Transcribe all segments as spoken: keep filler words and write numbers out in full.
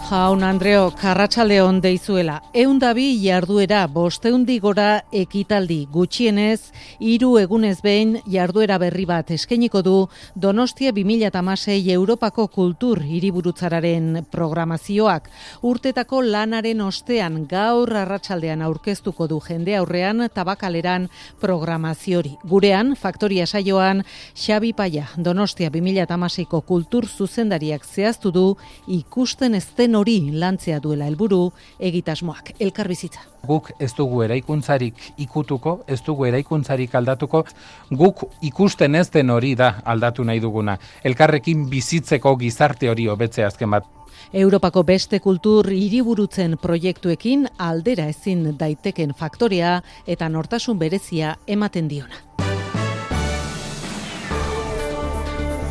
Jaun Andreok, arratsaldeon deizuela. Ehundabi jarduera, bosteundi gora ekitaldi, gutxienez, hiru egunez behin jarduera berri bat eskainiko du Donostia bi mila hamasei Europako kultur hiriburutzararen programazioak. Urtetako lanaren ostean gaur arratsaldean aurkeztuko du jende aurrean tabakaleran programaziori. Gurean, Faktoria saioan, Xabi Paia, Donostia bi mila hamaseiko kultur zuzendariak zehaztu du ikusten ez den hori lantzea duela helburu egitasmoak. Elkarbizitza. Guk ez dugu eraikuntzarik ikutuko, ez dugu eraikuntzarik aldatuko, guk ikusten ez den hori da aldatu nahi duguna. Elkarrekin bizitzeko gizarte hori hobetzea azken bat. Europako beste kultur hiriburutzen proiektuekin aldera ezin daiteken faktorea eta nortasun berezia ematen diona.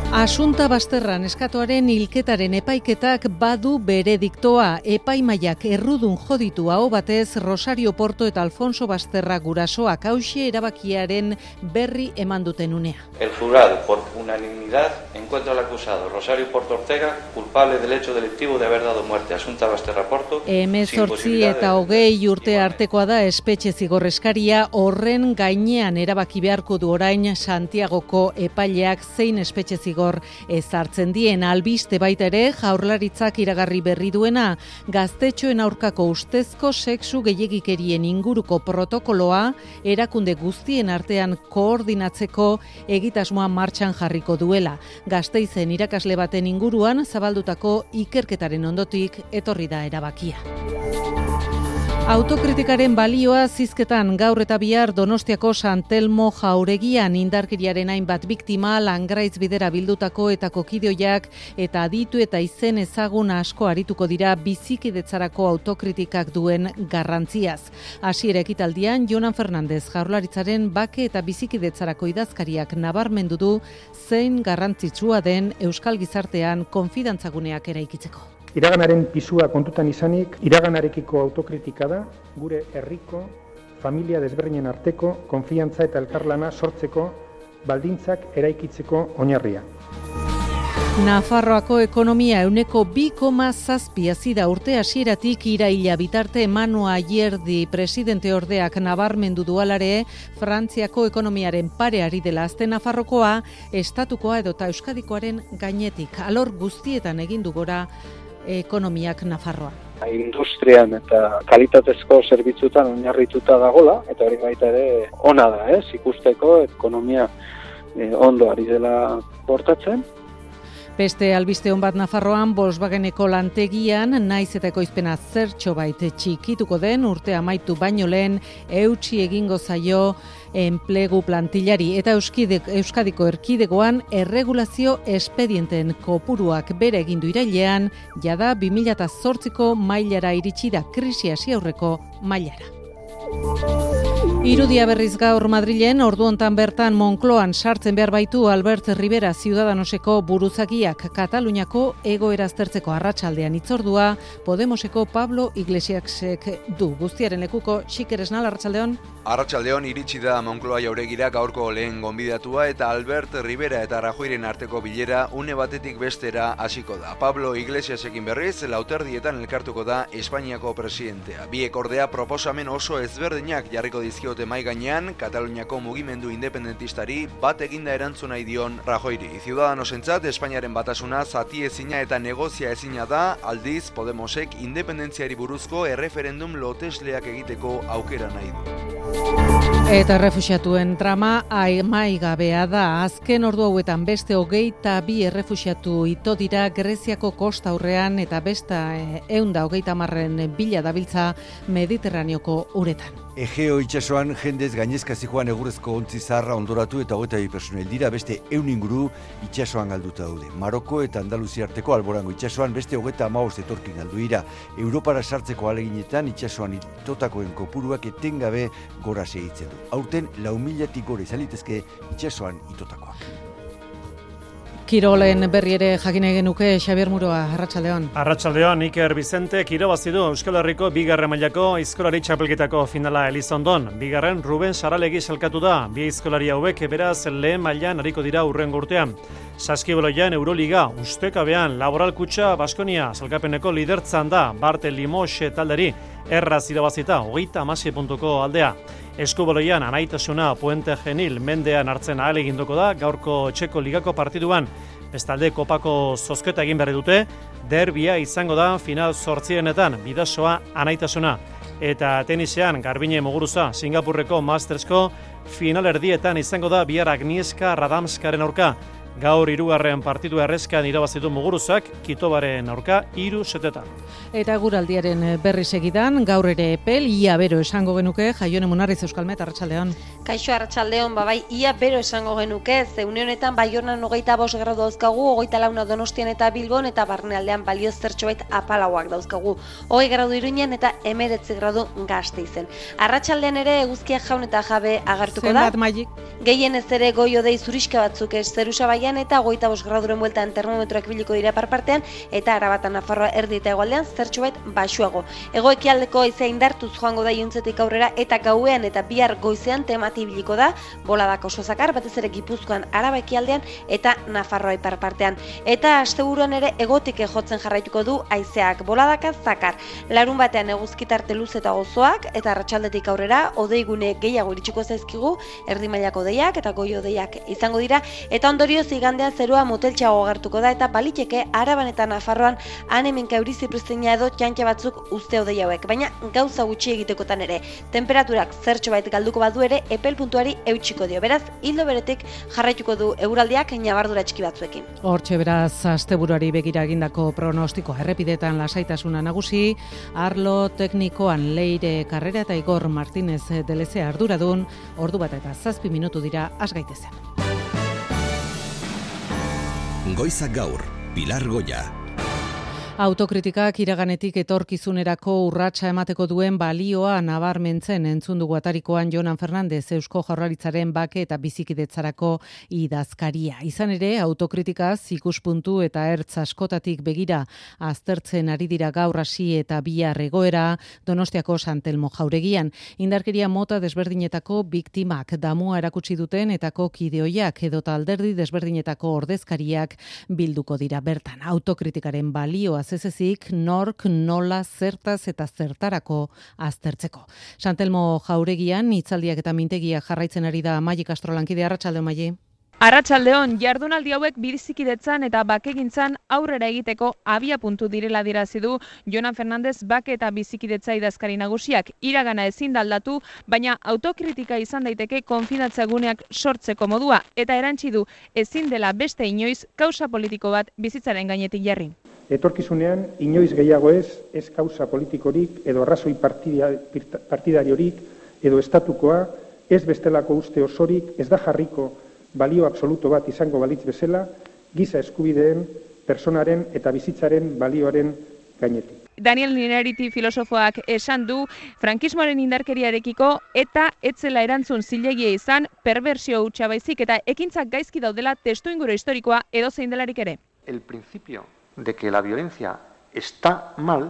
Asunta Basterran eskatuaren hilketaren epaiketak badu berediktoa. Epaimaiak errudun joditu aho batez Rosario Porto eta Alfonso Basterra gurasoak hauxe erabakiaren berri eman duten unea. El jurado, por unanimidad, encuentra al acusado Rosario Porto Ortega culpable del hecho delictivo de haber dado muerte a Asunta Basterra Porto. Hemezortzi eta hogei urte artekoa da espetxe zigorreskaria, horren gainean erabaki beharko du orain Santiagoko epaileak zein espetxe zigor ezartzen dien. Albiste baita ere Jaurlaritzak iragarri berri duena, gaztetxoen aurkako ustezko sexu gehiegikerien inguruko protokoloa erakunde guztien artean koordinatzeko egitasmoa martxan jarriko duela. Gasteizen irakasle baten inguruan zabaldutako ikerketaren ondotik etorri da erabakia. Autokritikaren balioa zizketan gaur eta bihar Donostiako San Telmo jauregian indarkeriaren hainbat biktima, Langraiz bidera bildutako eta kokideoiak eta aditu eta izen ezagun asko arituko dira bizikidetzarako autokritikak duen garrantziaz. Hasiera ekitaldian Jonan Fernandez Jaurlaritzaren bake eta bizikidetzarako idazkariak nabarmendu du zein garrantzitsua den euskal gizartean konfidantzaguneak eraikitzeko. Iraganaren pisua kontutan izanik, iraganarekiko autokritika da, gure herriko, familia desberdinen arteko, konfiantza eta elkarlana sortzeko, baldintzak eraikitzeko oinarria. Nafarroako ekonomia ehuneko bi koma zazpi hazi da urte hasieratik iraila bitarte. Manu Ayerdi presidente ordeak nabarmendu dualare, Frantziako ekonomiaren pare ari dela azten Nafarrokoa, estatukoa edota euskadikoaren gainetik. Alor guztietan egin du gora ekonomiak Nafarroa. Industrian eta kalitatezko zerbitzutan oinarrituta dagola, eta hori baita ere ona da, ez? Ikusteko ekonomia eh, ondo ari dela portatzen. Beste albiste hon bat Nafarroan, Volkswageneko lantegian, naiz eta ekoizpena zertxo bait txikituko den, urte amaitu baino lehen, eutsi egingo zaio enplegu plantillari eta Euskadiko erkidegoan erregulazio espedienten kopuruak bere egindu irailean, jada bi mila zortziko mailara iritsi da, krisi hasi aurreko mailara. Irudia berriz gaur Madrilen, ordu hontan bertan Moncloan sartzen behar baitu Albert Rivera Ciudadanoseko buruzagiak. Kataluniako egoera aztertzeko arratsaldean hitzordua Podemoseko Pablo Iglesiasek du. Guztiaren lekuko Xiker Esnal, arratsaldeon. Arratsaldeon iritsi da Moncloa jauregira gaurko lehen gonbidatua eta Albert Rivera eta Rajoyren arteko bilera une batetik bestera hasiko da. Pablo Iglesiasekin berriz lauterdietan elkartuko da Espainiako presidentea. Biek ordea proposamen oso ezberdinak jarriko dizkiote mai gainean, Kataluniako mugimendu independentistari bat eginda erantzun nahi dion Rajoyri. Ciudadanosentzat Espainiaren batasuna zati ezina eta negozia ezina da, aldiz Podemosek independentziari buruzko erreferendum lotesleak egiteko aukera nahi du. Eta errefuxiatuen drama amaigabea da. Azken ordu hauetan beste hogeita bi errefuxiatu ito dira Greziako kosta aurrean eta besta ehun eta hogeita hamarren bila dabiltza Mediterraneoko uretan. Egeo itsasoan jendez gainezka zijoan egurrezko ontzi zaharra ondoratu eta hogeita bi pertsona hil dira, beste ehun inguru itsasoan galduta daude. Maroko eta Andaluzia arteko Alborango itsasoan beste hogeita hamabost etorkin galdu dira. Europara sartzeko ahaleginetan itsasoan itotakoen kopuruak etengabe gora segitzen du. Aurten lau milatik gora izan litezke itsasoan itotakoak. Kirolen berri ere jakin nahi genuke, Xabier Muroa, arratsaldeon. Arratsaldeon, Iker Bizente irabazi du Euskal Herriko bigarren mailako aizkolari txapelketako finala Elizondon. Bigarren Ruben Saralegi salkatu da. Bi aizkolari hauek beraz lehen mailan ariko dira hurrengo urtean. Saskibaloian Euroliga, ustekabean Laboral Kutxa Baskonia salkapeneko lidertzan da Barte Limoxe talderi erraz irabazita hogeita hamasei puntuko aldea. Eskubaloian anaitasuna Puente Genil mendean hartzen ahal eginduko da gaurko Txeko Ligako partiduan. Bestalde kopako zozketa egin berri dute, derbia izango da final zortzienetan Bidasoa anaitasuna. Eta tenisean Garbine Muguruza Singapurreko Mastersko final erdietan izango da bihar Agnieszka Radamskaren aurka. Gaur hirugarren partidu errezkan irabazitu Muguruzak, Kitobaren aurka hiru setetan. Eta guraldiaren berri segidan, gaur ere epel, ia bero esango genuke, Jaione Munarriz Euskalmet, Arratsaldeon. Kaixo Arratsaldeon, babai, ia bero esango genuke, ze une honetan Baiornan hogeita bost gradu dauzkagu, hogeita launa Donostian eta Bilbon, eta barnealdean balio zertxobait apalauak dauzkagu. Hogei gradu Iruinen eta emeretzi gradu Gasteizen. Arratsaldean ere eguzkia jaun eta jabe agertuko da. Zenbat maik? Gehien ez ere goio-dei zuriska batzuk ez Zerusabaian eta hogeita bost graduren bueltan termometroak biliko dira parpartean eta Arabatan Nafarroa erdi eta hegoaldean zertxobait baxuago. Hego-ekialdeko haizea indartuz joango da iluntzetik aurrera eta gauean eta bihar goizean temati biliko da, boladak oso zakar, batez ere Gipuzkoan, Araba ekialdean eta Nafarroa iparpartean. Eta asteburuan ere egotik jotzen jarraituko du haizeak boladaka zakar. Larun batean eguzkitarte luz eta gozoak eta arratsaldetik aurrera odeigune gehiago iritsiko zaizkigu, erdi mailako deiak eta goi-odeiak izango dira eta ondorioz igandean zerua moteltxago agertuko da eta baliteke Araban eta Nafarroan han-hemenka euri zipriztina edo txantxa batzuk uste hodei hauek, baina gauza gutxi egitekotan ere. Temperaturak zertxobait galduko badu ere epel puntuari eutxiko dio. Beraz, hildo beretik jarraituko du eguraldiak ñabardura txiki batzuekin. Hortxe beraz, asteburuari begira egindako pronostiko errepidetan lasaitasuna nagusi, arlo teknikoan Leire Karrera eta Igor Martínez Deleze arduradun, ordu bat eta zazpi minutu dira has gaitezen. Goizak gaur, Pilar Goya. Autokritikak iraganetik etorkizunerako urratsa emateko duen balioa nabarmentzen entzun dugu atarikoan Jonan Fernandez Eusko Jaurlaritzaren bake eta bizikidetzarako idazkaria. Izan ere, autokritikaz ikuspuntu eta ertz askotatik begira aztertzen ari dira gaur hasi eta bihar egoera Donostiako Santelmo jauregian. Indarkeria mota desberdinetako biktimak damua erakutsi duten etako kideoiak edota alderdi desberdinetako ordezkariak bilduko dira bertan. Autokritikaren balioa ezezik nork, nola, zertaz eta zertarako aztertzeko. Santelmo jauregian hitzaldiak eta mintegiak jarraitzen ari da Maili Castro lankide. Arratsaldeon, Maili. Arratsaldeon, jardunaldi hauek bizikidetzan eta bakegintzan aurrera egiteko abia puntu direla dirazi du Jonan Fernandez bake eta bizikidetza idazkari nagusiak. Iragana ezin da aldatu, baina autokritika izan daiteke konfidatzaguneak sortzeko modua eta erantsi du ezin dela beste inoiz kausa politiko bat bizitzaren gainetik jarri. Etorkizunean, inoiz gehiago ez, ez kausa politikorik edo arrazoi partidariorik edo estatukoa, ez bestelako uste osorik, ez da jarriko balio absoluto bat izango balitz bezala, giza eskubideen, personaren eta bizitzaren balioaren gainetik. Daniel Ninariti filosofoak esan du frankismoaren indarkeriarekiko eta etzela erantzun zilegia izan perversio hutsa baizik eta ekintzak gaizki daudela testuinguru historikoa edozein delarik ere. El principio de que la violencia está mal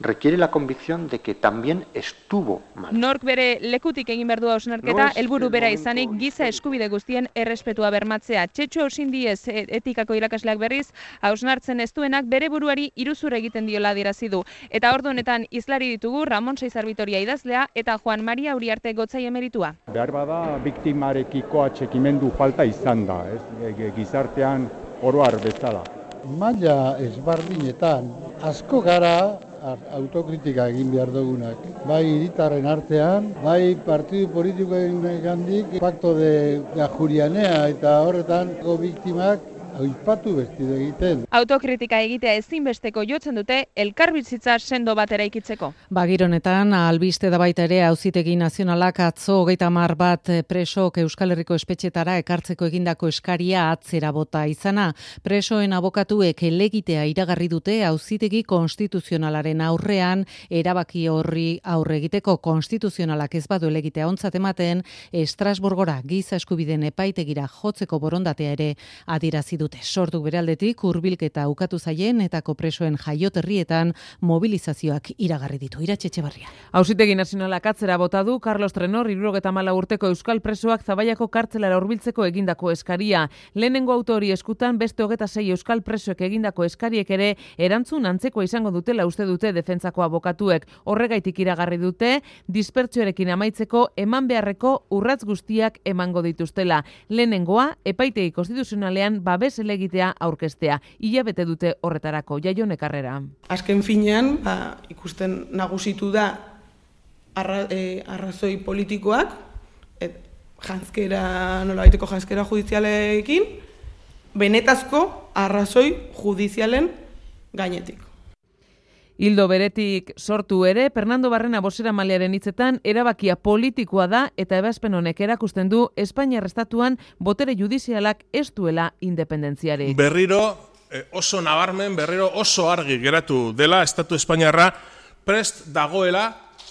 requiere la convicción de que también estuvo mal. Nork bere lekutik egin behar du hausnarketa, helburu bera izanik giza eskubide guztien errespetua bermatzea. Txetxo Ausindiez etikako irakasleak berriz, hausnartzen ez duenak bere buruari iruzur egiten diola adierazi du. Eta ordu honetan izlari ditugu Ramon Seizar Vitoria idazlea eta Juan Maria Uriarte Gotzai emeritua. Behar bada biktimarekiko atxikimendu falta izan da, ez? Gizartean oroar bezala. Maila ezberdinetan asko gara autokritika egin behar dugunak. Bai hiritarren artean, bai partidu politikoen gandik, Pacto de Ajurianea eta horretan biktimak aipatu bestido egiten. Autokritika egitea ezinbesteko jotzen dute elkarbizitza sendo bat eraikitzeko. Bagironetan, albiste da baita ere Auzitegi Nazionalak atzo hogeita hamar bat presok Euskal Herriko espetxetara ekartzeko egindako eskaria atzera bota izana. Presoen abokatuek helegitea iragarri dute Auzitegi Konstituzionalaren aurrean erabaki horri aurre egiteko. Konstituzionalak ez badu helegitea ontzat ematen, Estrasburgora giza eskubideen epaitegira jotzeko borondatea ere adierazi dute. Sortu bere aldetik hurbilketa ukatu zaien eta presoen jaioterrietan mobilizazioak iragarri ditu. Iratxe Etxebarria. Auzitegi Nazionalak atzera bota du Carlos Trenor hirurogeta hamalau urteko euskal presoak Zabaiako kartzelara hurbiltzeko egindako eskaria. Lehenengo autori eskutan beste hogeta sei euskal presoek egindako eskariek ere erantzun antzekoa izango dutela uste dute defentsako abokatuek. Horregaitik iragarri dute dispertsioarekin amaitzeko eman beharreko urratz guztiak emango dituztela. Lehenengoa epaitegi konstituzionalean babes helegitea aurkeztea. Hilabete dute horretarako. Jaio Nekarrera. Azken finean, ba, ikusten nagusitu da arra, e, arrazoi politikoak, et, janzkera, nola baiteko janzkera judizialekin, benetazko arrazoi judizialen gainetik. Hildo beretik sortu ere, Fernando Barrena bozeramailearen hitzetan erabakia politikoa da eta ebazpen honek erakusten du Espainiar estatuan botere judizialak ez duela independentziarik. Berriro oso nabarmen, berriro oso argi geratu dela estatu espainiarra prest dagoela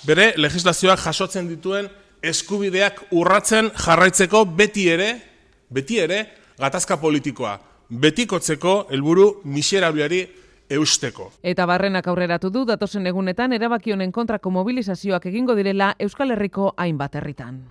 bere legislazioak jasotzen dituen eskubideak urratzen jarraitzeko beti ere, beti ere gatazka politikoa, betikotzeko helburu miserabliari eusteko. Eta Barrenak aurreratu du datozen egunetan erabaki honen kontrako mobilizazioak egingo direla Euskal Herriko hainbat herritan.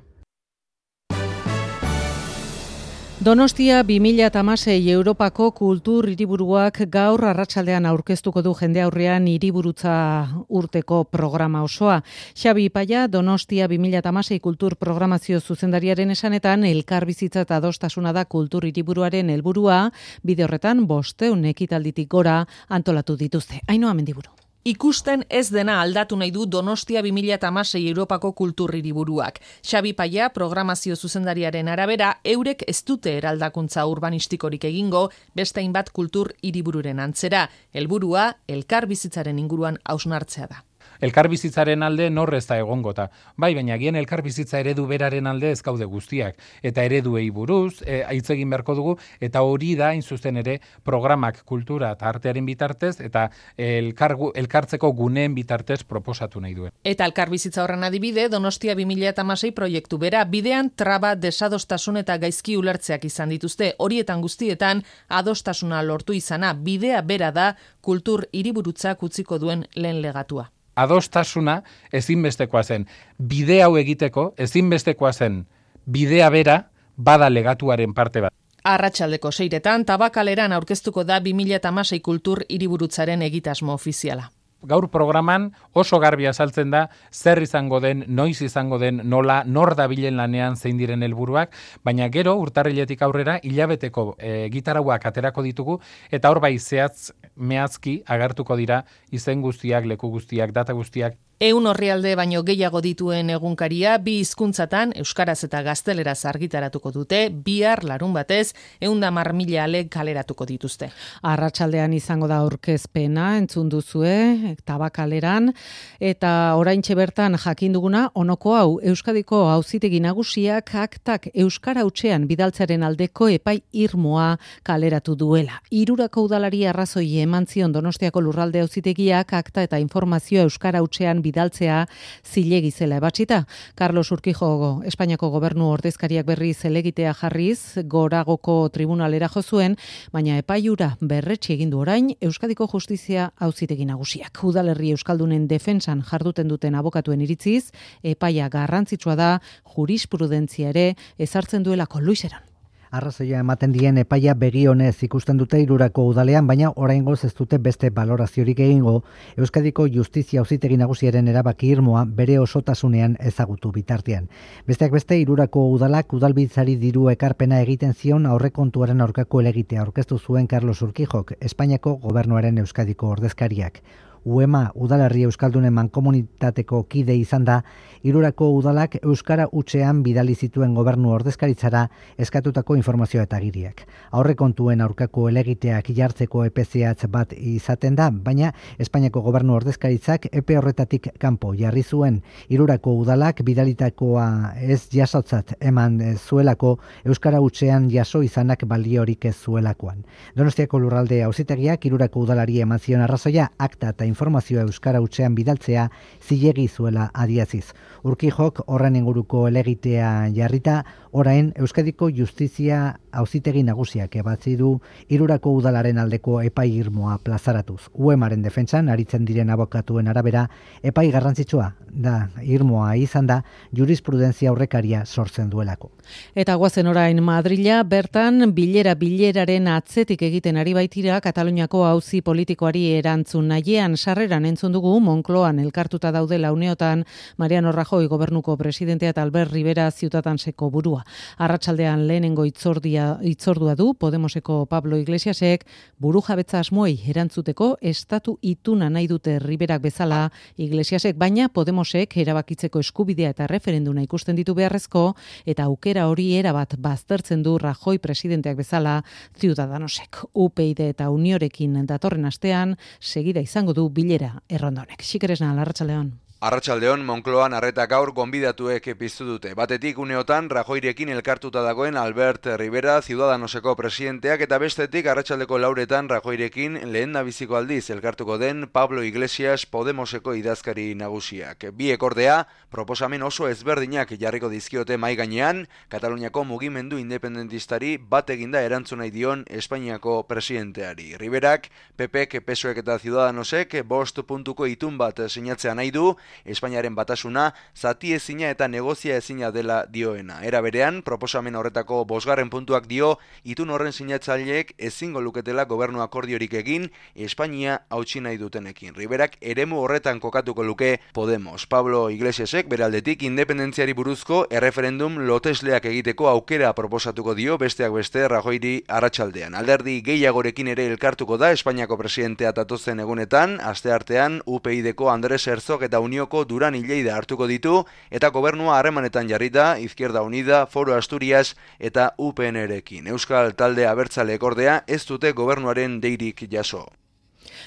Donostia bi mila hamasei Europako kultur hiriburuak gaur arratsaldean aurkeztuko du jende aurrean hiriburutza urteko programa osoa. Xabi Ipaia, Donostia bi mila hamasei kultur programazio zuzendariaren esanetan elkarbizitza eta adostasuna da kultur hiriburuaren helburua, bide horretan bosteun ekitalditik gora antolatu dituzte. Ainhoa Mendiburu. Ikusten ez dena aldatu nahi du Donostia bi mila hamasei Europako kultur hiriburuak. Xabi Paia, programazio zuzendariaren arabera, eurek ez dute eraldakuntza urbanistikorik egingo, beste hainbat kultur hiribururen antzera. Helburua elkar bizitzaren inguruan hausnartzea da. Elkarbizitzaren alde norrez da egongota. Bai, baina gian elkarbizitza eredu beraren alde ez gaude guztiak. Eta ereduei buruz, e, hitz egin beharko dugu, eta hori da, hain zuzen ere, programak kultura eta artearen bitartez, eta elkargu, elkartzeko guneen bitartez proposatu nahi duen. Eta elkarbizitza horren adibide, Donostia bi mila hamasei proiektu bera, bidean traba, desadostasun eta gaizki ulertzeak izan dituzte. Horietan guztietan, adostasuna lortu izana, bidea bera da, kultur hiriburutzak utziko duen lehen legatua. Adostasuna ezinbestekoa zen. Bide hau egiteko ezinbestekoa zen. Bidea bera bada legatuaren parte bat. Arratsaldeko seiretan Tabakaleran aurkeztuko da bi mila hamasei kultur hiriburutzaren egitasmo ofiziala. Gaur programan oso garbi azaltzen da zer izango den, noiz izango den, nola, nor dabilen lanean zein diren helburuak, baina gero urtarriletik aurrera hilabeteko e, gitarauak aterako ditugu eta hor bai zehatz mehatski agertuko dira izen guztiak, leku guztiak, data guztiak. Ehun orrialde baino gehiago dituen egunkaria bi hizkuntzatan euskaraz eta gazteleraz argitaratuko dute, bihar larun batez ehun eta hamar mila ale kaleratuko dituzte. Arratsaldean izango da aurkezpena, entzun duzue, Tabakaleran, eta oraintxe bertan jakin duguna onoko hau Euskadiko Auzitegi Nagusiak aktak euskara hutsean bidaltzaren aldeko epai irmoa kaleratu duela. Hirurako udalari arrazoi eman zion Donostiako Lurralde Auzitegiak akta eta informazioa euskara hutsean bidaltzea zilegi zela ebatsita. Carlos Urquijo, Espainiako gobernu ordezkariak berriz helegitea jarriz, goragoko tribunalera jo zuen, baina epaiura berretsi egin du orain Euskadiko Justizia Auzitegi Nagusiak. Udalerri euskaldunen defentsan jarduten duten abokatuen iritziz, epaia garrantzitsua da, jurisprudentzia ere ezartzen duelako. Luiseran. Arrazoia ematen dien epaia begionez ikusten dute Hirurako udalean, baina oraingoz ez dute beste baloraziorik egingo Euskadiko Justizia Auzitegi Nagusiaren erabaki irmoa bere osotasunean ezagutu bitartean. Besteak beste Hirurako udalak udalbiltzari diru ekarpena egiten zion aurrekontuaren aurkako helegitea aurkeztu zuen Carlos Urquijok, Espainiako gobernuaren Euskadiko ordezkariak. U E M A udalerri euskaldunen mankomunitateko kide izan da, Hirurako udalak euskara hutsean bidali zituen gobernu ordezkaritzara eskatutako informazioa eta agiriak. Aurrekontuen aurkako helegiteak jartzeko epe zehatz bat izaten da, baina Espainiako gobernu ordezkaritzak epe horretatik kanpo jarri zuen. Hirurako udalak bidalitakoa ez jasotzat eman zuelako euskara hutsean jaso izanak baliorik ez zuelakoan. Donostiako Lurralde Auzitegiak Hirurako udalari eman zion arrazoia akta eta informazioa euskara hutsean bidaltzea zilegi zuela adiaziz. Urkijok horren inguruko elegitea jarrita, orain Euskadiko Justizia Auzitegi Nagusiak ebatzi du Hirurako udalaren aldeko epai irmoa plazaratuz. U E Maren defentsan aritzen diren abokatuen arabera, epai garrantzitsua da irmoa izan da jurisprudentzia aurrekaria sortzen duelako. Eta guazen orain Madrila, bertan bilera bileraren atzetik egiten ari baitira Kataluniako auzi politikoari erantzun nahiean sarreran entzun dugu Moncloan elkartuta daudela uneotan Mariano Rajoy gobernuko presidentea eta Albert Rivera Ciutadanseko burua. Arratsaldean lehenengo itzordia, itzordua du Podemoseko Pablo Iglesiasek burujabetza asmoei erantzuteko estatu ituna nahi dute Riverak bezala Iglesiasek, baina Podemosek erabakitzeko eskubidea eta referenduna ikusten ditu beharrezko eta aukera hori erabat baztertzen du Rajoy presidenteak bezala Ciudadanosek. U P y D eta Uniorekin datorren astean segida izango du bilera erronda honek. Xikeresna, Arratsaldeon. Arratsaldeon, Moncloan arreta gaur gonbidatuek piztu dute. Batetik uneotan Rajoyrekin elkartuta dagoen Albert Rivera Ciudadanoseko presidenteak eta bestetik arratsaldeko lauretan Rajoyrekin lehendabiziko aldiz elkartuko den Pablo Iglesias Podemoseko idazkari nagusiak. Biek ordea proposamen oso ezberdinak jarriko dizkiote mahai gainean, Kataluniako mugimendu independentistari bat eginda erantzun nahi dion Espainiako presidenteari. Riverak, P Pek, P S O Ek eta Ciudadanosek bost puntuko itun bat sinatzea nahi du, Espainiaren batasuna zati ezina eta negozia ezina dela dioena. Era berean, proposamen horretako bosgarren puntuak dio, itun horren sinatzaileek ezingo luketela gobernu akordiorik egin Espainia hautsi nahi dutenekin. Riverak eremu horretan kokatuko luke Podemos. Pablo Iglesiasek beraldetik independentziari buruzko erreferendum lotesleak egiteko aukera proposatuko dio besteak beste Rajoyri arratsaldean. Alderdi gehiagorekin ere elkartuko da Espainiako presidentea datozen egunetan, asteartean U P y D ko Andres Herzog eta Unioko Duran Lleida hartuko ditu eta gobernua harremanetan jarrita Izquierda Unida, Foro Asturias eta U P N rekin. Euskal talde abertzaleek ordea ez dute gobernuaren deirik jaso.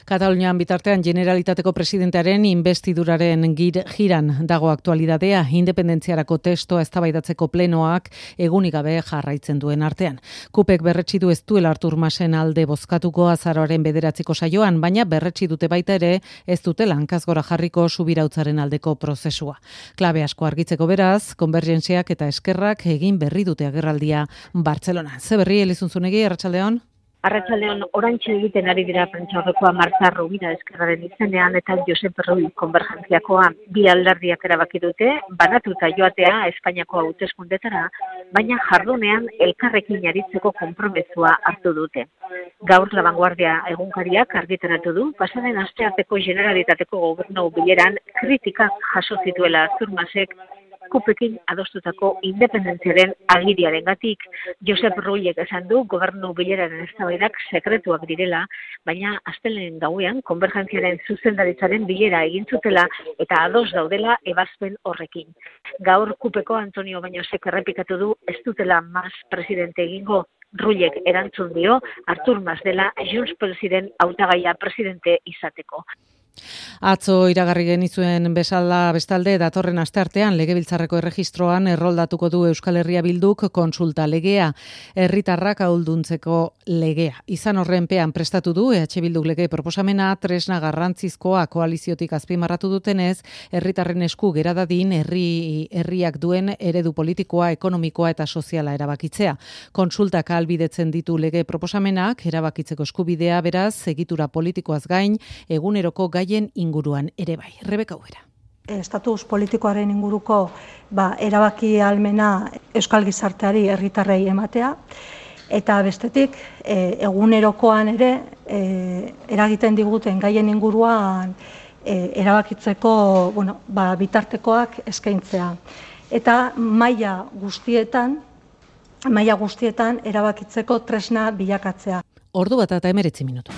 Katalunian bitartean Generalitateko presidentearen investiduraren gir, giran dago aktualidadea, independentziarako testoa eztabaidatzeko plenoak egunik gabe jarraitzen duen artean. Kupek berretsi du ez duela Artur Masen alde bozkatuko azaroaren bederatziko saioan, baina berretsi dute baita ere ez dutela hankazgora jarriko subirautzaren aldeko prozesua. Klabe asko argitzeko beraz, konbergentziak eta eskerrak egin berri dute agerraldia Bartzelona. Ze berri, Elizuntzunegi, Arratsaldeon? Arratsaldeon orantxe egiten ari dira prentsaurrekoa Marta Rovira eskerraren izenean eta Josep Rull konbergentziakoa. Bi alderdiak erabaki dute banatuta joatea Espainiako hauteskundetara, baina jardunean elkarrekin aritzeko konpromezua hartu dute. Gaur La Vanguardia egunkariak argitaratu du, pasaden astearteko Generalitateko gobernu bileran kritikak jaso zituela Artur Masek Kupekin adostutako independentziaren agiriarengatik. Josep Rullek esan du gobernu bileraren eztabaidak sekretuak direla, baina astelehen gauean konbergentziaren zuzendaritzaren bilera egin zutela eta ados daudela ebazpen horrekin. Gaur Kupeko Antonio Bañosek errepikatu du ez dutela Mas presidente egingo. Rullek erantzun dio Artur Mas dela Junts Pelsiren hautagaia presidente izateko. Atzo iragarri genizuen bezala bestalde datorren asteartean Legebiltzarreko erregistroan erroldatuko du Euskal Herria Bilduk kontsulta legea, herritarrak ahulduntzeko legea. Izan horrenpean prestatu du E H Bilduk lege proposamena tresna garrantzizkoa koaliziotik azpimarratu dutenez, herritarren esku gera dadin herri herriak duen eredu politikoa, ekonomikoa eta soziala erabakitzea. Kontsultak ahalbidetzen ditu lege proposamenak, erabakitzeko eskubidea beraz, egitura politikoaz gain, eguneroko gaien inguruan ere bai. Rebeka Ubera. Estatus politikoaren inguruko ba, erabaki ahalmena euskal gizarteari herritarrei ematea, eta bestetik e, egunerokoan ere e, eragiten diguten gaien inguruan e, erabakitzeko bueno, ba, bitartekoak eskaintzea. Eta maila guztietan, maila guztietan erabakitzeko tresna bilakatzea. Ordu bat eta hemeretzi minutu.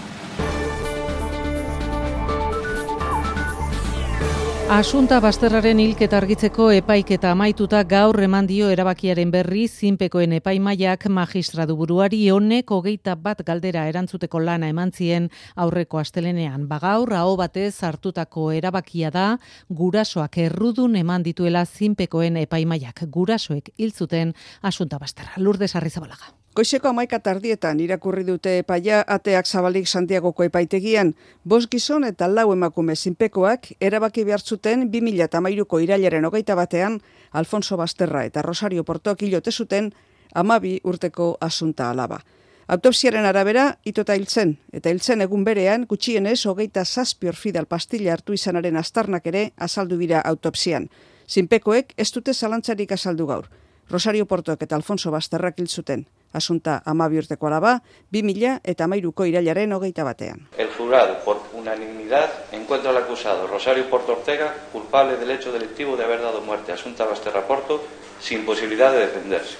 Asunta Basterraren hilketa argitzeko epaiketa amaituta gaur eman dio erabakiaren berri zinpekoen epaimaiak magistradu buruari honek hogeita bat galdera erantzuteko lana eman zien aurreko astelenean. Bagaur aho batez hartutako erabakia da gurasoak errudun eman dituela zinpekoen epaimaiak. Gurasoek hil zuten Asunta Basterra. Lourdes Arrizabalaga. Goizeko hamaika tardietan irakurri dute epaia ateak zabalik Santiagoko epaitegian, bost gizon eta lau emakume zinpekoak erabaki behar zuten bi mila hamairuko irailaren hogeita batean Alfonso Basterra eta Rosario Portok hilote zuten hamabi urteko asunta alaba. Autopsiaren arabera, itota hiltzen, eta hiltzen egun berean, gutxienez hogeita zazpi orfidal pastilla hartu izanaren aztarnak ere azaldu dira autopsian. Zinpekoek ez dute zalantzarik azaldu gaur. Rosario Portok eta Alfonso Basterrak hil zuten. Asunta hamabi urteko alaba, bi mila eta hamairuko irailaren hogeita batean. El jurado, por unanimidad, encuentra al acusado Rosario Porto Ortega culpable del hecho delictivo de haber dado muerte a Asunta Basterra Porto sin posibilidad de defenderse.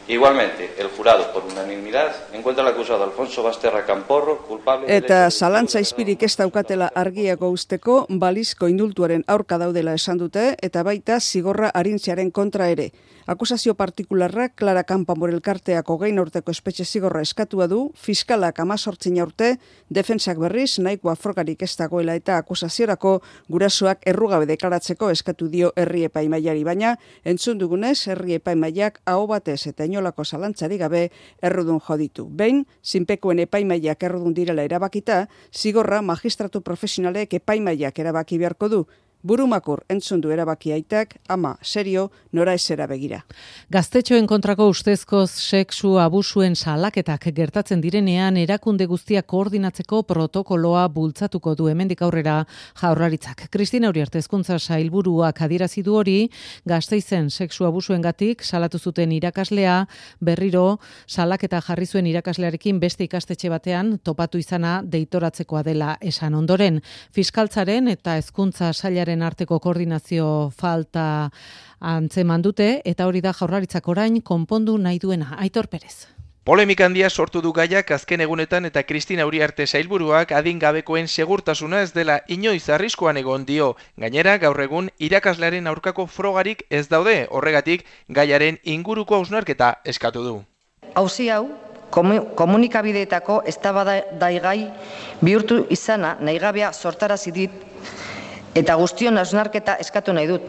Igualmente, el jurado, por unanimidad, encuentra al acusado Alfonso Basterra Camporro culpable... Eta zalantza izpirik ez daukatela argiago usteko, balizko indultuaren aurka daudela esan dute, eta baita zigorra arintziaren kontra ere. Akusazio partikularrak Clara Campoamor elkarteak hogein urteko espetxe zigorra eskatua du, fiskalak amazortzin urte, defentsak berriz nahikoa frogarik ez dagoela eta akusaziorako gurasoak errugabe deklaratzeko eskatu dio herri epaimaiari, baina entzun dugunez herri epaimaiak aho batez eta inolako zalantzari gabe errudun joditu. Behin, zinpekoen epaimaiak errudun direla erabakita, zigorra magistratu profesionalek epaimaiak erabaki beharko du. Burumakur entzun du erabaki aitak, ama serio, nora esera begira. Gaztetxoen kontrako ustezko sexu abusuen salaketak gertatzen direnean erakunde guztiak koordinatzeko protokoloa bultzatuko du hemendik aurrera Jaurlaritzak. Kristina Uriarte Hezkuntza Sailburuak adierazi du hori, Gasteizen sexu abusuengatik salatu zuten irakaslea berriro salaketa jarri zuen irakaslearekin beste ikastetxe batean topatu izana deitoratzekoa dela esan ondoren. Fiskaltzaren eta Hezkuntza Sailaren arteko koordinazio falta antzeman dute eta hori da Jaurlaritzak orain konpondu nahi duena. Aitor Perez. Polemika handia sortu du gaiak azken egunetan eta Kristina Uriarte Sailburuak adingabekoen segurtasuna ez dela inoiz arriskuan egon dio. Gainera, gaur egun irakaslearen aurkako frogarik ez daude, horregatik gaiaren inguruko hausnarketa eskatu du. Auzi hau komunikabideetako eztabaidagai bihurtu izana nahigabea sortarazi dit eta guztion hausnarketa eskatu nahi dut.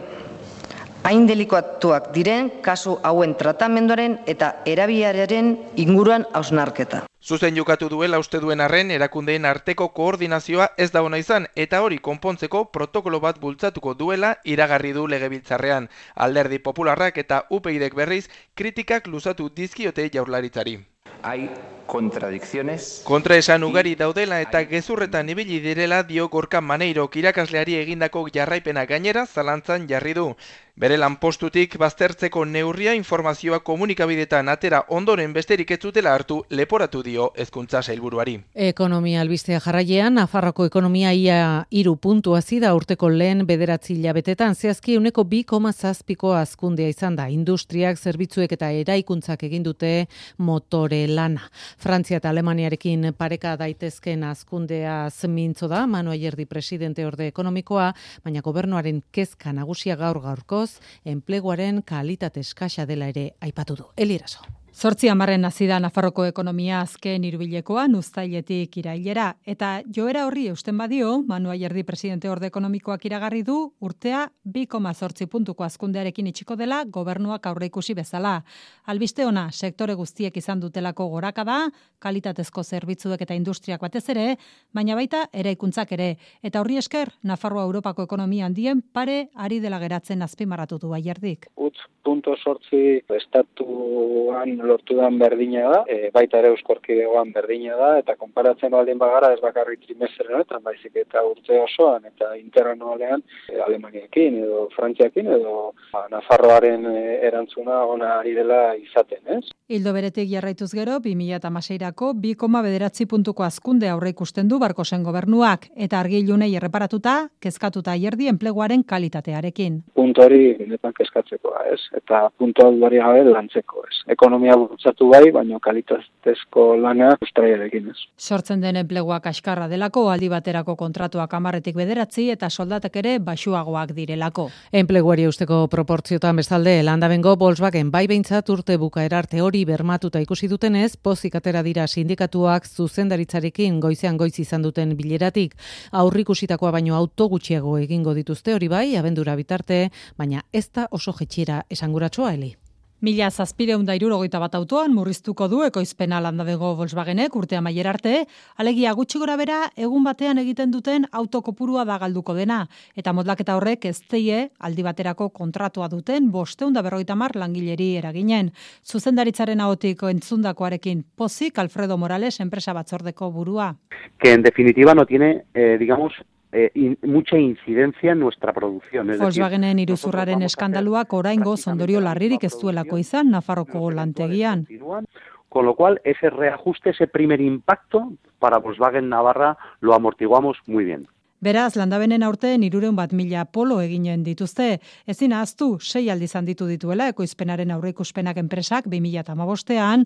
Hain delikatuak diren kasu hauen tratamenduaren eta erabileraren inguruan hausnarketa. Zuzen jokatu duela uste duen arren erakundeen arteko koordinazioa ez da ona izan eta hori konpontzeko protokolo bat bultzatuko duela iragarri du Legebiltzarrean. Alderdi Popularrak eta U P Yk berriz kritikak luzatu dizkiote Jaurlaritzari. Hay contradicciones. Kontraesan ugari daudela eta gezurretan ibili direla dio Gorka Maneirok irakasleari egindako jarraipena gainera zalantzan jarri du. Bere lanpostutik baztertzeko neurria informazioa komunikabidetan atera ondoren besterik ez zutela hartu leporatu dio Hezkuntza Sailburuari. Ekonomia albistea jarraian, Nafarroako ekonomia ia hiru puntu hazi da urteko lehen bederatzi hilabetetan, zehazki ehuneko bi koma zazpiko hazkundea izan da. Industriak, zerbitzuek eta eraikuntzak egin dute motore lana. Frantzia eta Alemaniarekin pareka daitezken hazkundea mintzo da, Manu Ayerdi presidente orde ekonomikoa, baina gobernuaren kezka nagusia gaur gaurko enpleguaren kalitate eskasa dela ere aipatu du. Eliraso. Zortzi hamarren hasi da Nafarroko ekonomia azken hirubilekoan uztailetik irailera eta joera horri eusten badio, Manu Ayerdi presidente orde ekonomikoak iragarri du urtea bi koma zortzi puntuko hazkundearekin itxiko dela gobernuak aurreikusi bezala. Albiste ona sektore guztiek izan dutelako gorakada, kalitatezko zerbitzuek eta industriak batez ere, baina baita eraikuntzak ere eta horri esker Nafarroa Europako ekonomia handien pare ari dela geratzen azpimarratu du Ayerdik. Utz punto sortzi estatuan lortudan berdina da, e, baita ere Euskorkidegoan berdina da, eta konparatzen baldin bagara ez bakarrik trimestre honetan, baizik eta urte osoan, eta interanualean e, Alemaniakin edo Frantziakin edo ba, Nafarroaren e, erantzuna ona ari dela izaten, ez? Ildo beretik jarraituz gero, bi mila hamaseirako bi koma bederatzi puntuko hazkunde aurre ikusten du Barkosen gobernuak, eta argi ilunei erreparatuta, kezkatuta Ayerdi enpleguaren kalitatearekin. Puntu hori benetan kezkatzekoa, ez? Eta puntu hori gabe lantzeko, ez? Ekonomia bultzatu bai, baina kalitatezko lana ustraiarekin, ez? Sortzen den enplegua kaskarra delako, aldi baterako kontratuak hamarretik bederatzi eta soldatak ere baxuagoak direlako. Enpleguari usteko proportziotan bestalde, Landabengo Volkswagen bai behintzat urte bukaera arte hori bermatuta ikusi dutenez, pozik atera dira sindikatuak zuzendaritzarekin goizean goiz izan duten bileratik. Aurrikusitakoa baino auto gutxiago egingo dituzte hori bai, abendura bitarte, baina ez da oso jetxiera esanguratsua, Eli. Mila zazpireun da hirurogeita bat autoan murriztuko du ekoizpena landabego Volkswagenek urte amaiera arte, alegia gutxi gora bera egun batean egiten duten autokopurua da galduko dena, eta modlaketa horrek ez teie aldi baterako kontratua duten bosteun da berrogeita hamar langileri eraginen. Zuzendaritzaren ahotik entzundakoarekin pozik Alfredo Morales enpresa batzordeko burua. Que en definitiva no tiene, eh, digamos, Eh, in, mucha incidencia en nuestra producción. Es Volkswagenen iruzurraren eskandaluak oraingo ondorio larririk ez duelako izan Nafarroko lantegian. Con lo cual, ese reajuste, ese primer impacto para Volkswagen Navarra lo amortiguamos muy bien. Beraz, landabenen aurten hirureun bat mila polo eginen dituzte. Ezin ahaztu, sei aldiz handitu dituela ekoizpenaren aurreikuspenak enpresak bi mila hamabostean,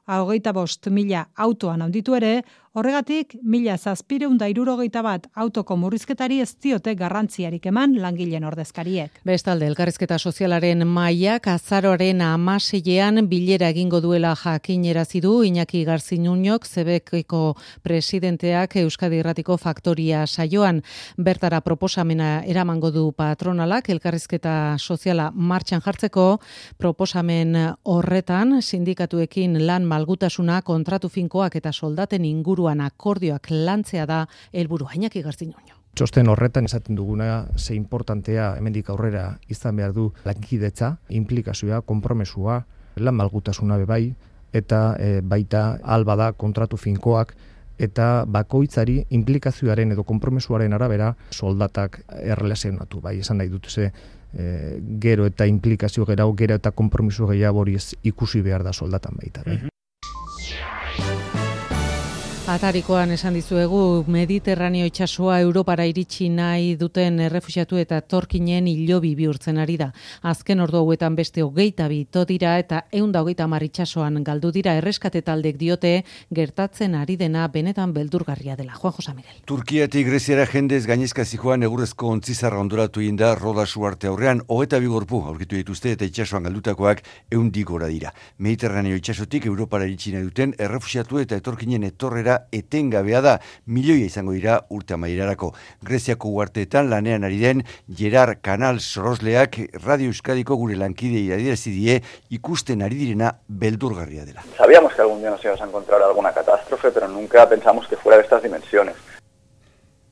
hogeita bost mila autoan handitu ere, horregatik mila zazpireun da hirurogeita bat autoko murrizketari ez diote garrantziarik eman langileen ordezkariek. Bestalde, elkarrizketa sozialaren mahaiak azaroaren hamaseian bilera egingo duela jakinerazi du Iñaki Garzinunok Zebekeko presidenteak Euskadi Irratiko Faktoria saioan. Bertara proposamena eramango du patronalak elkarrizketa soziala martxan jartzeko. Proposamen horretan sindikatuekin lan malgutasuna, kontratu finkoak eta soldaten inguru akordioak lantzea da helburua. Iñaki Garzinunok. Txosten horretan esaten duguna ze importantea hemendik aurrera izan behar du lankidetza, implikazioa, konpromesua, lan malgutasuna bebai, eta e, baita alba da kontratu finkoak, eta bakoitzari implikazioaren edo konpromesuaren arabera soldatak errelazionatu. Bai, esan nahi dut ze e, gero eta implikazio gerau, gero eta konpromisu gehiago hori ikusi behar da soldatan baita. Bai. Atarikoan esan dizuegu Mediterraneo itsasoa Europara iritsi nahi duten errefuxiatu eta etorkinen hilobi bihurtzen ari da. Azken ordu hauetan beste hogeita bi ito dira eta ehun da hogeita hamar itsasoan galdu dira. Erreskate taldek diote gertatzen ari dena benetan beldurgarria dela. Juan José Miguel. Turkiatik Greziara jendez gainezka zijoan egurrezko ontzizarra ondoratu inda Rodas uarte aurrean hogeita bi gorpu aurkitu dituzte eta itsasoan galdutakoak ehundik gora dira. Mediterraneo itsasotik Europara iritsi nahi duten errefuxiatu eta etorkinen etorrera etengabea da, milioia izango dira urte amaierarako. Greziako uarteetan lanean ari den Gerard Canal Sorosleak Radio Euskadiko gure lankidei adierazi die ikusten ari direna beldurgarria dela. Sabíamos que algún día nos íbamos a encontrar alguna catástrofe, pero nunca pensamos que fuera de estas dimensiones.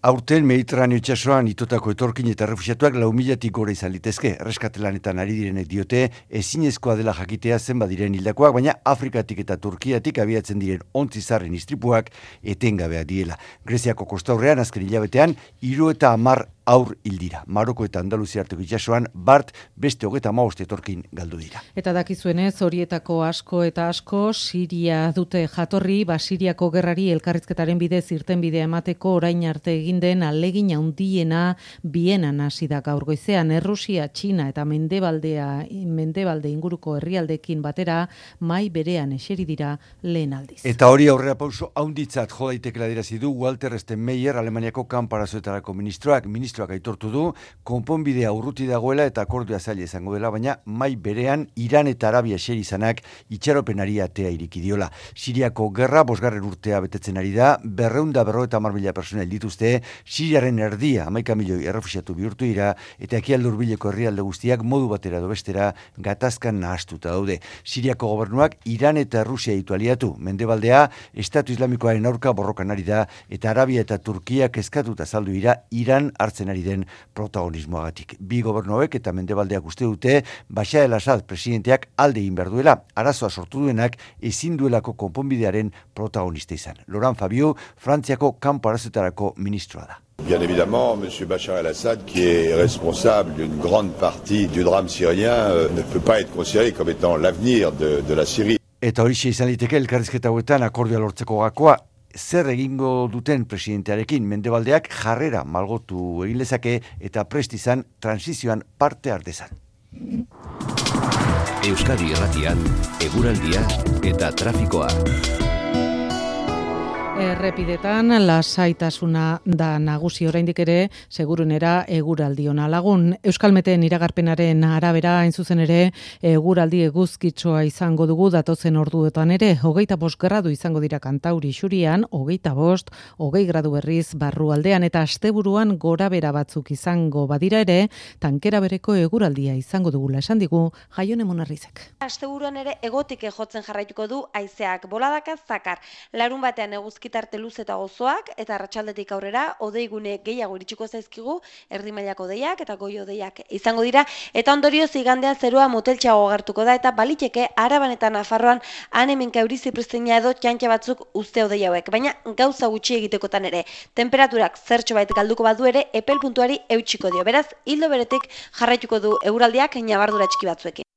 Aurten Mediterraneo itsasoan itotako etorkin eta refuxiatuak lau milatik gora izan litezke. Erreskatelanetan ari direnek diote ezinezkoa dela jakitea zenbat diren hildakoak, baina Afrikatik eta Turkiatik abiatzen diren ontzizarren istripuak etengabeak diela. Greziako kostaurrean azken hilabetean hiru eta hamar aur hildira. Maroko eta Andaluzia arteko itsasoan bart beste hogeita hamabost etorkin galdu dira. Eta dakizuenez horietako asko eta asko Siria dute jatorri, ba Siriako gerrari elkarrizketaren bidez irtenbidea emateko orain arte egin den alegin handiena Bienan hasi da gaur goizean. Errusia, Txina eta Mendebaldea Mendebalde inguruko herrialdeekin batera mai berean eseri dira lehen aldiz. Eta hori aurrera pauso haunditzat jo daitekela adierazi du Walter Steinmeier Alemaniako kanparazuetarako ministroak. Ministroak aitortu du konponbidea urruti dagoela eta akordioa zaila izango dela, baina mai berean Iran eta Arabia eseri izanak itxaropenari atea iriki diola. Siriako gerra bosgarren urtea betetzen ari da, berrehun eta berrogeita hamar mila pertsona dituzte, Siriaren erdia hamaika milioi errefuxiatu bihurtu dira eta ekialde hurbileko herrialde guztiak modu batera edo bestera gatazkan nahastuta daude. Siriako gobernuak Iran eta Rusia ditu aliatu. Mendebaldea Estatu Islamikoaren aurka borrokan ari da eta Arabia eta Turkiak eskatuta saldu dira Iran hartzen ari den protagonismoagatik. Bi gobernuek eta Mendebaldeak uste dute Bashar el-Assad presidenteak alde egin behar duela, arazoa sortu duenak ezin duelako konponbidearen protagonista izan. Laurent Fabiu, Frantziako kanpo arazoetarako ministroa da. Bien évidemment, M. Bachar el-Assad, qui est responsable d'une grande partie du drame syrien, euh, ne peut pas être considéré comme étant l'avenir de, de la Syrie. Eta horixe izan liteke elkarrizketa hauetan akordioa lortzeko gakoa, zer egingo duten presidentearekin Mendebaldeak jarrera malgotu egin lezake eta prest izan transizioan parte hartezan. Euskadi Irratian eguraldia eta trafikoa. Errepidetan lasaitasuna da nagusi oraindik ere segurunera eguraldi ona lagun. Euskalmeten iragarpenaren arabera hain zuzen ere eguraldi eguzkitsoa izango dugu datozen orduetan ere. Hogeita bost gradu izango dira Kantauri Xurian, hogeita bost, hogei gradu berriz barrualdean eta asteburuan gorabera batzuk izango badira ere, tankera bereko eguraldia izango dugula esan digu Jaione Monarrizek. Asteburuan ere egotik jotzen jarraituko du haizeak boladaka zakar. Larun batean eguzkitarte luz eta gozoak eta arratsaldetik aurrera odeigune gehiago iritsiko zaizkigu, erdi mailako odeiak eta goi odeiak izango dira eta ondorioz igandean zerua moteltxeago agertuko da eta baliteke Araban eta Nafarroan han-hemenka euri zipriztina edo txantxa batzuk uste odei hauek, baina gauza gutxi egitekotan ere. Temperaturak zertxo bait galduko badu ere epel puntuari eutsiko dio. Beraz, hildo beretik jarraituko du eguraldiak ñabardura txiki batzuekin.